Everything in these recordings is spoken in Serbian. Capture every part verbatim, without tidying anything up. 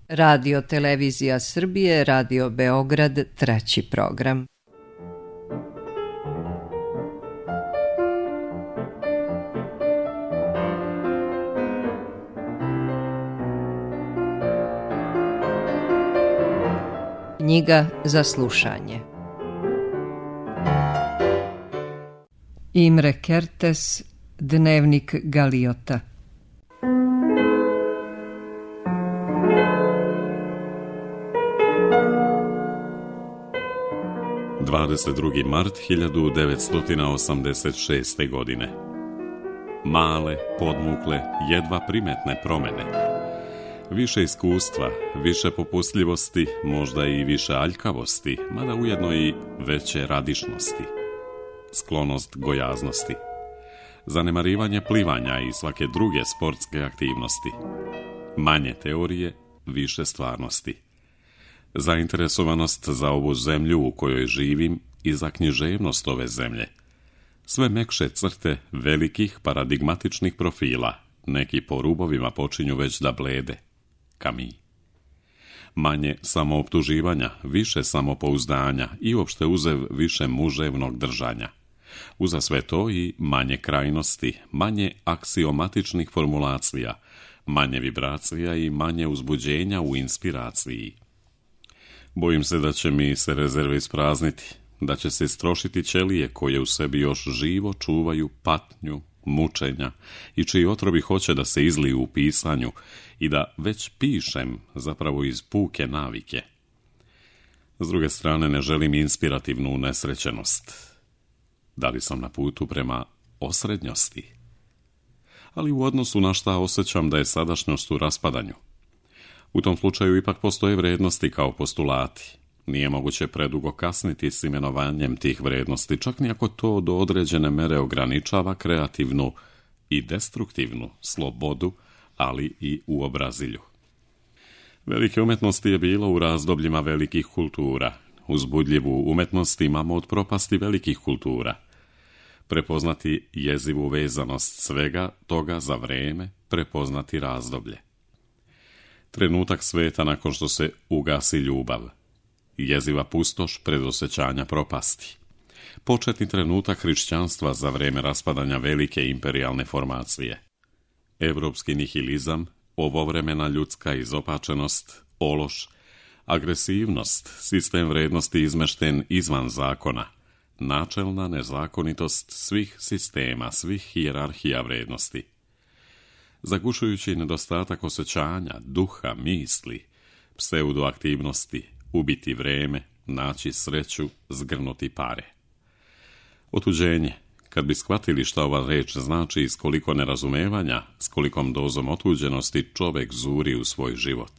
Radio Televizija Srbije, Radio Beograd, treći program. Knjiga za slušanje. Imre Kertész, Dnevnik Galiota. dvadeset drugi mart hiljadu devetsto osamdeset šeste. godine. Male, podmukle, jedva primetne promjene. Više iskustva, više popustljivosti, možda i više aljkavosti, mada ujedno i veće radišnosti. Sklonost gojaznosti. Zanemarivanje plivanja i svake druge sportske aktivnosti. Manje teorije, više stvarnosti. Zainteresovanost za ovu zemlju u kojoj živim i za književnost ove zemlje. Sve mekše crte velikih paradigmatičnih profila, neki po rubovima počinju već da blede. Camus. Manje samooptuživanja, više samopouzdanja i uopšte uzev više muževnog držanja. Uza sve to i manje krajnosti, manje aksiomatičnih formulacija, manje vibracija i manje uzbuđenja u inspiraciji. Bojim se da će mi se rezerve isprazniti, da će se istrošiti ćelije koje u sebi još živo čuvaju patnju, mučenja i čiji otrovi hoće da se izliju u pisanju i da već pišem zapravo iz puke navike. S druge strane ne želim inspirativnu unesrećenost. Da li sam na putu prema osrednjosti? Ali u odnosu na šta osjećam da je sadašnjost u raspadanju. U tom slučaju ipak postoje vrednosti kao postulati. Nije moguće predugo kasniti s imenovanjem tih vrednosti, čak ni ako to do određene mere ograničava kreativnu i destruktivnu slobodu, ali i uobrazilju. Velike umetnosti je bilo u razdobljima velikih kultura. Uzbudljivu umetnost imamo od propasti velikih kultura. Prepoznati jezivu vezanost svega toga za vreme, prepoznati razdoblje. Trenutak sveta nakon što se ugasi ljubav. Jeziva pustoš predosjećanja propasti. Početni trenutak hrišćanstva za vreme raspadanja velike imperijalne formacije. Evropski nihilizam, ovovremena ljudska izopačenost, ološ, agresivnost, sistem vrednosti izmešten izvan zakona, načelna nezakonitost svih sistema, svih hijerarhija vrednosti. Zagušujući nedostatak osjećanja, duha, misli, pseudoaktivnosti, ubiti vreme, naći sreću, zgrnuti pare. Otuđenje, kad bi shvatili šta ova reč znači i s koliko nerazumevanja, s kolikom dozom otuđenosti čovek zuri u svoj život.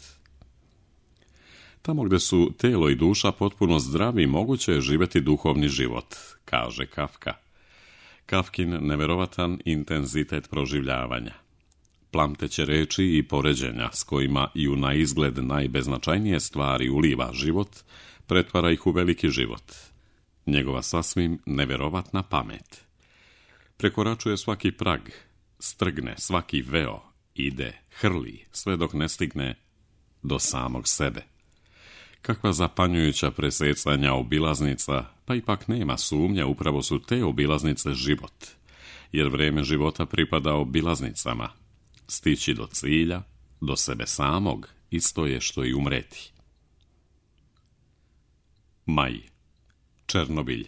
Tamo gde su telo i duša potpuno zdravi, moguće je živjeti duhovni život, kaže Kafka. Kafkin neverovatan intenzitet proživljavanja. Plamteće reči i poređenja s kojima i u naizgled najbeznačajnije stvari uliva život, pretvara ih u veliki život. Njegova sasvim neverovatna pamet. Prekoračuje svaki prag, strgne svaki veo, ide, hrli, sve dok ne stigne do samog sebe. Kakva zapanjujuća presecanja obilaznica, pa ipak nema sumnja, upravo su te obilaznice život, jer vreme života pripada obilaznicama. Stići do cilja, do sebe samog, isto je što i umreti. Maj. Černobilj.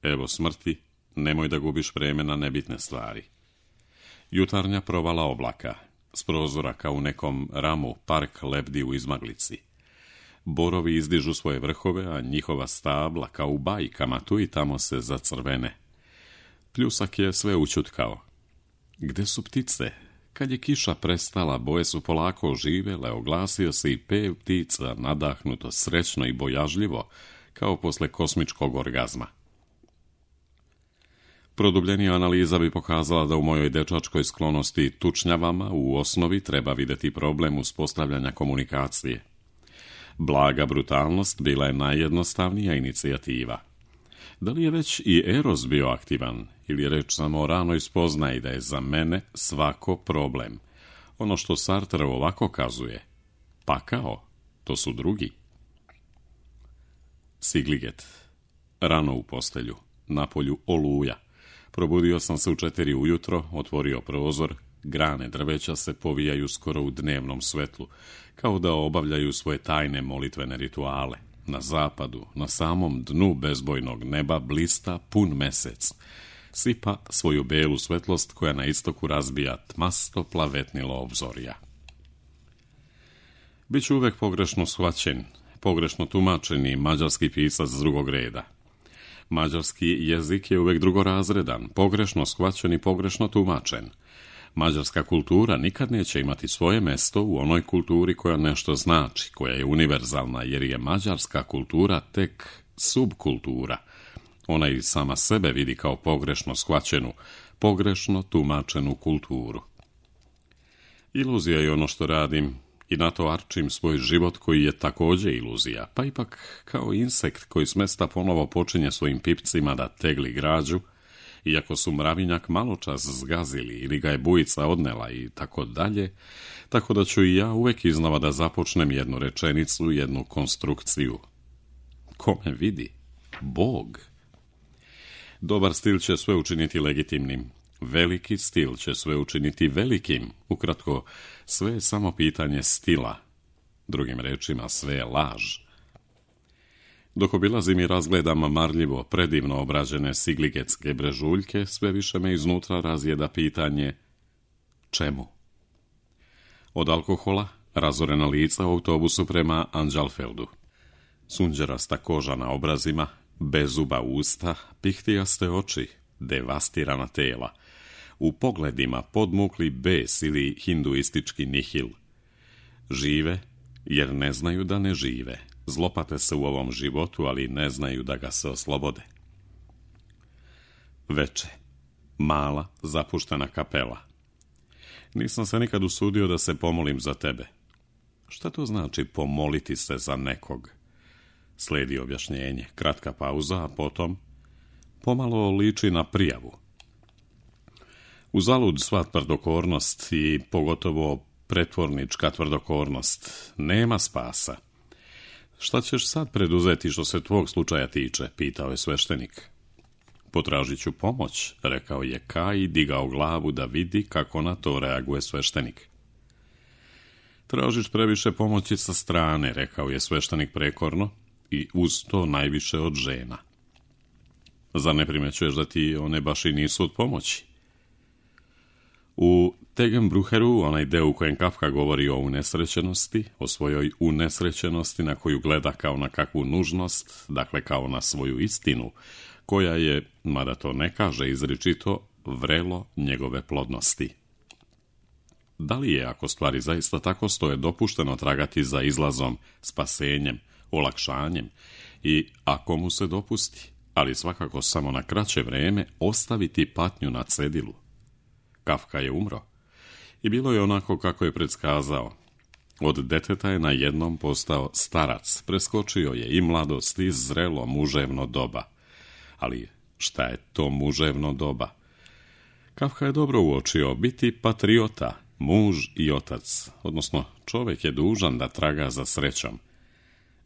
Evo smrti, nemoj da gubiš vreme na nebitne stvari. Jutarnja provala oblaka, s prozora kao u nekom ramu park lebdi u izmaglici. Borovi izdižu svoje vrhove, a njihova stabla kao u bajkama tu i tamo se zacrvene. Pljusak je sve ućutkao. Gde su ptice? Kad je kiša prestala, boje su polako oživele, oglasio se i pev ptica, nadahnuto, srećno i bojažljivo, kao posle kosmičkog orgazma. Produbljenija analiza bi pokazala da u mojoj dečačkoj sklonosti tučnjavama u osnovi treba videti problem uspostavljanja komunikacije. Blaga brutalnost bila je najjednostavnija inicijativa. Da li je već i Eros bio aktivan, ili je reč samo o ranoj spoznaji da je za mene svako problem? Ono što Sartre ovako kazuje, Pakao, to su drugi. Sigliget. Rano u postelju, na polju oluja. Probudio sam se u četiri ujutro, otvorio prozor, grane drveća se povijaju skoro u dnevnom svetlu, kao da obavljaju svoje tajne molitvene rituale. Na zapadu, na samom dnu bezbojnog neba, blista pun mesec. Sipa svoju belu svetlost koja na istoku razbija tmasto plavetnilo obzorja. Biću uvek pogrešno shvaćen, pogrešno tumačeni mađarski pisac drugog reda. Mađarski jezik je uvek drugorazredan, pogrešno shvaćen i pogrešno tumačen. Mađarska kultura nikad neće imati svoje mesto u onoj kulturi koja nešto znači, koja je univerzalna, jer je mađarska kultura tek subkultura. Ona i sama sebe vidi kao pogrešno shvaćenu, pogrešno tumačenu kulturu. Iluzija je ono što radim i na to arčim svoj život koji je također iluzija, pa ipak kao insekt koji smesta ponovo počinje svojim pipcima da tegli građu, iako su mravinjak maločas zgazili ili ga je bujica odnela i tako dalje, tako da ću i ja uvek iznova da započnem jednu rečenicu, jednu konstrukciju. Ko me vidi? Bog. Dobar stil će sve učiniti legitimnim. Veliki stil će sve učiniti velikim. Ukratko, sve je samo pitanje stila. Drugim rečima, sve je laž. Dok obilazim i razgledam marljivo, predivno obrađene sigligetske brežuljke, sve više me iznutra razjeda pitanje čemu? Od alkohola, razorena lica u autobusu prema Anđalfeldu. Sunđerasta koža na obrazima, bezuba usta, pihtijaste oči, devastirana tela. U pogledima podmukli bes ili hinduistički nihil. Žive, jer ne znaju da ne žive. Zlopate se u ovom životu, ali ne znaju da ga se oslobode. Veče. Mala, zapuštena kapela. Nisam se nikad usudio da se pomolim za tebe. Šta to znači pomoliti se za nekog? Slijedi objašnjenje, kratka pauza, a potom pomalo liči na prijavu. Uzalud sva tvrdokornost i pogotovo pretvornička tvrdokornost. Nema spasa. Šta ćeš sad preduzeti što se tvog slučaja tiče, pitao je sveštenik. Potražit ću pomoć, rekao je Kaj i digao glavu da vidi kako na to reaguje sveštenik. Tražiš previše pomoći sa strane, rekao je sveštenik prekorno, i uz to najviše od žena. Zar ne primećuješ da ti one baš i nisu od pomoći? U Tegenbrucheru, onaj deo u kojem Kafka govori o unesrećenosti, o svojoj unesrećenosti na koju gleda kao na kakvu nužnost, dakle kao na svoju istinu, koja je, mada to ne kaže izričito, vrelo njegove plodnosti. Da li je, ako stvari zaista tako stoje, dopušteno tragati za izlazom, spasenjem, olakšanjem i, ako mu se dopusti, ali svakako samo na kraće vreme, ostaviti patnju na cedilu? Kafka je umro i bilo je onako kako je predskazao. Od deteta je na jednom postao starac, preskočio je i mladost i zrelo muževno doba. Ali šta je to muževno doba? Kafka je dobro uočio, biti patriota, muž i otac, odnosno čovjek je dužan da traga za srećom.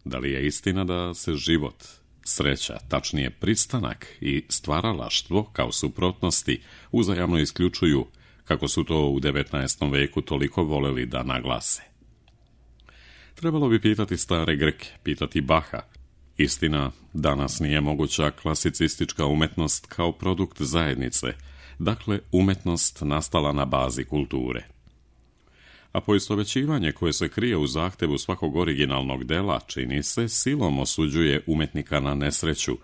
Da li je istina da se život, sreća, tačnije pristanak i stvaralaštvo kao suprotnosti uzajamno isključuju, kako su to u devetnaestom veku toliko voleli da naglase? Trebalo bi pitati stare Grke, pitati Baha. Istina, danas nije moguća klasicistička umetnost kao produkt zajednice, dakle umetnost nastala na bazi kulture. A poistovećivanje koje se krije u zahtevu svakog originalnog dela, čini se, silom osuđuje umetnika na nesreću,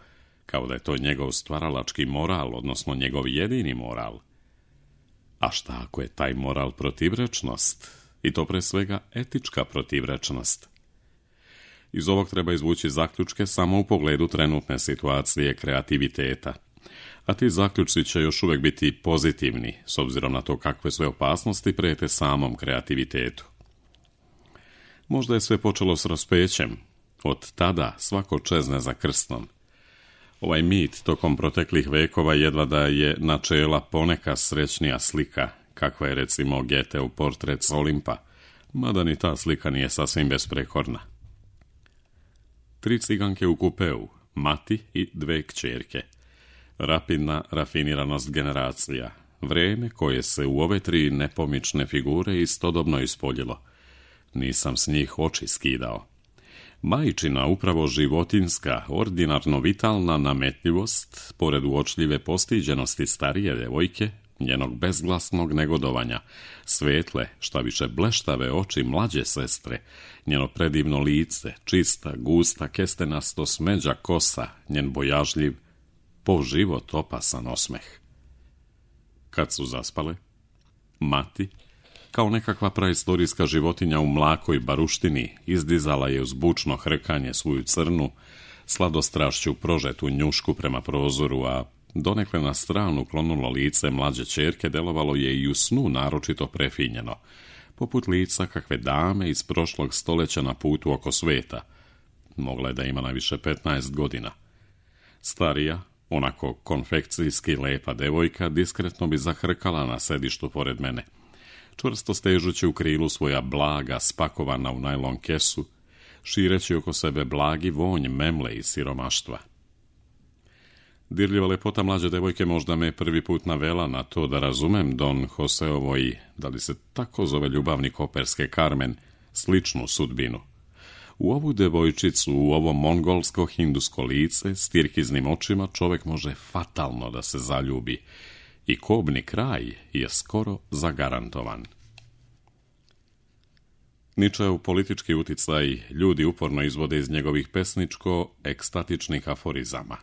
kao da je to njegov stvaralački moral, odnosno njegov jedini moral. A šta ako je taj moral protivrečnost? I to pre svega etička protivrečnost. Iz ovog treba izvući zaključke samo u pogledu trenutne situacije kreativiteta. A ti zaključci će još uvijek biti pozitivni, s obzirom na to kakve sve opasnosti prijete samom kreativitetu. Možda je sve počelo s raspećem. Od tada svako čezne za krstom. Ovaj mit tokom proteklih vekova jedva da je načela poneka srećnija slika, kakva je recimo Goetheov portret s Olimpa, mada ni ta slika nije sasvim besprekorna. Tri ciganke u kupeu, mati i dve kćerke. Rapidna rafiniranost generacija, vrijeme koje se u ove tri nepomične figure istodobno ispoljilo. Nisam s njih oči skidao. Majčina, upravo životinska, ordinarno vitalna nametljivost, pored uočljive postiđenosti starije devojke, njenog bezglasnog negodovanja, svetle, šta više bleštave oči mlađe sestre, njeno predivno lice, čista, gusta, kestenasto smeđa kosa, njen bojažljiv, po život opasan osmeh. Kad su zaspale, mati, kao nekakva praistorijska životinja u mlakoj baruštini, izdizala je uz bučno hrkanje svoju crnu, sladostrašću prožetu njušku prema prozoru, a donekle na stranu klonulo lice mlađe ćerke delovalo je i u snu naročito prefinjeno, poput lica kakve dame iz prošlog stoljeća na putu oko sveta. Mogla je da ima najviše petnaest godina. Starija, onako konfekcijski lepa devojka, diskretno bi zahrkala na sedištu pored mene, čvrsto stežući u krilu svoja blaga spakovana u najlon kesu, šireći oko sebe blagi vonj memle i siromaštva. Dirljiva lepota mlađe devojke možda me prvi put navela na to da razumem Don Joseovoj, da li se tako zove ljubavnik operske Carmen, sličnu sudbinu. U ovu devojčicu, u ovo mongolsko-hindusko lice, s tirkiznim očima, čovjek može fatalno da se zaljubi i kobni kraj je skoro zagarantovan. Ničev politički uticaj ljudi uporno izvode iz njegovih pesničko-ekstatičnih aforizama.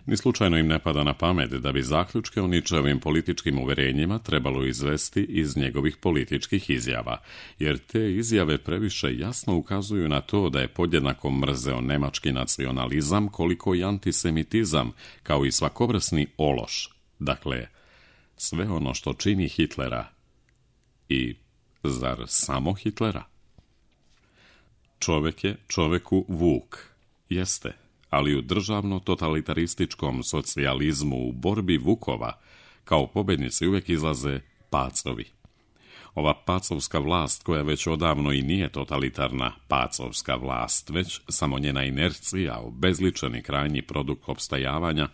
Ni slučajno im ne pada na pamet da bi zaključke o Ničevim političkim uverenjima trebalo izvesti iz njegovih političkih izjava, jer te izjave previše jasno ukazuju na to da je podjednako mrzeo nemački nacionalizam koliko i antisemitizam, kao i svakovrsni ološ, dakle, sve ono što čini Hitlera. I zar samo Hitlera? Čovjek je čovjeku vuk, jeste, ali u državno-totalitarističkom socijalizmu u borbi vukova kao pobjednici uvijek izlaze pacovi. Ova pacovska vlast, koja već odavno i nije totalitarna pacovska vlast, već samo njena inercija, obezličeni krajnji produkt opstajavanja,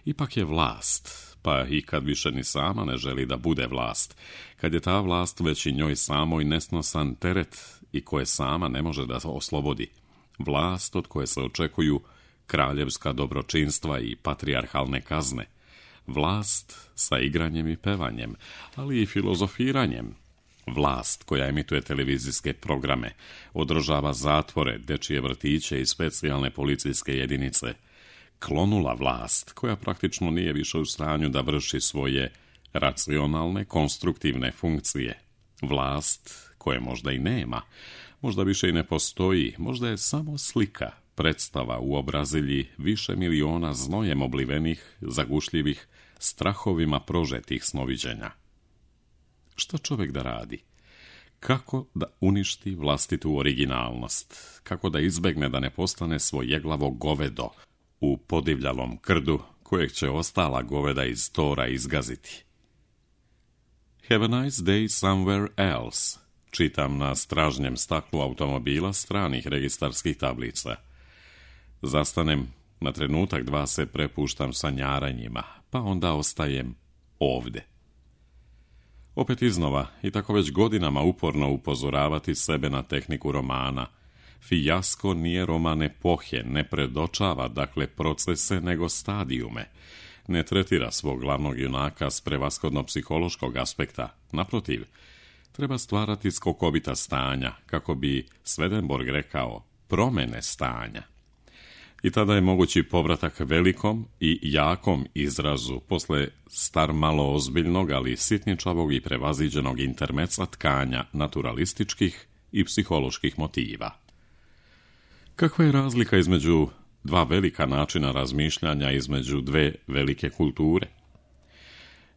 ipak je vlast, pa i kad više ni sama ne želi da bude vlast, kad je ta vlast već i njoj samoj nesnosan teret i koje sama ne može da oslobodi. Vlast od koje se očekuju kraljevska dobročinstva i patrijarhalne kazne. Vlast sa igranjem i pevanjem, ali i filozofiranjem. Vlast koja emituje televizijske programe, održava zatvore, dečije vrtiće i specijalne policijske jedinice. Klonula vlast koja praktično nije više u stanju da vrši svoje racionalne, konstruktivne funkcije. Vlast koje možda i nema, možda više i ne postoji, možda je samo slika, predstava u obrazilji više miliona znojem oblivenih, zagušljivih, strahovima prožetih snoviđenja. Što čovjek da radi? Kako da uništi vlastitu originalnost? Kako da izbegne da ne postane svojeglavo govedo u podivljalom krdu kojeg će ostala goveda iz tora izgaziti? Have a nice day somewhere else, čitam na stražnjem staklu automobila stranih registarskih tablica. Zastanem, na trenutak dva se prepuštam sanjaranjima, pa onda ostajem ovde. Opet iznova, i tako već godinama uporno upozoravati sebe na tehniku romana. Fijasko nije roman epohe, ne predočava, dakle, procese, nego stadijume. Ne tretira svog glavnog junaka s prevashodno psihološkog aspekta. Naprotiv, treba stvarati skokovita stanja, kako bi Swedenborg rekao, promene stanja. I tada je mogući povratak velikom i jakom izrazu posle star malo ozbiljnog, ali sitničavog i prevaziđenog intermeca tkanja naturalističkih i psiholoških motiva. Kakva je razlika između dva velika načina razmišljanja, između dve velike kulture?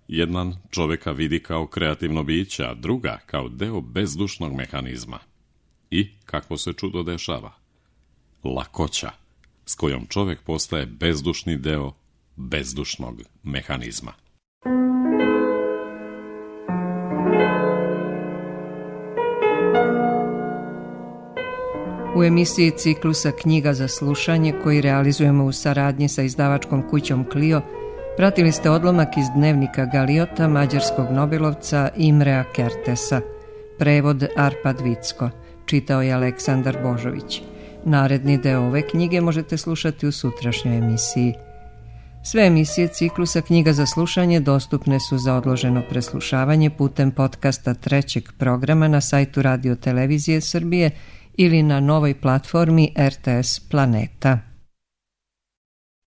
Jedan čovjeka vidi kao kreativno biće, a druga kao deo bezdušnog mehanizma. I kakvo se čudo dešava? Lakoća s kojom čovjek postaje bezdušni deo bezdušnog mehanizma. U emisiji ciklusa Knjiga za slušanje, koji realizujemo u saradnji sa izdavačkom kućom Clio, pratili ste odlomak iz dnevnika Galiota mađarskog nobelovca Imrea Kertesa. Prevod Arpad Vicko. Čitao je Aleksandar Božović. Naredni deo ove knjige možete slušati u sutrašnjoj emisiji. Sve emisije ciklusa Knjiga za slušanje dostupne su za odloženo preslušavanje putem podcasta trećeg programa na sajtu Radio Televizije Srbije ili na novoj platformi R T S Planeta.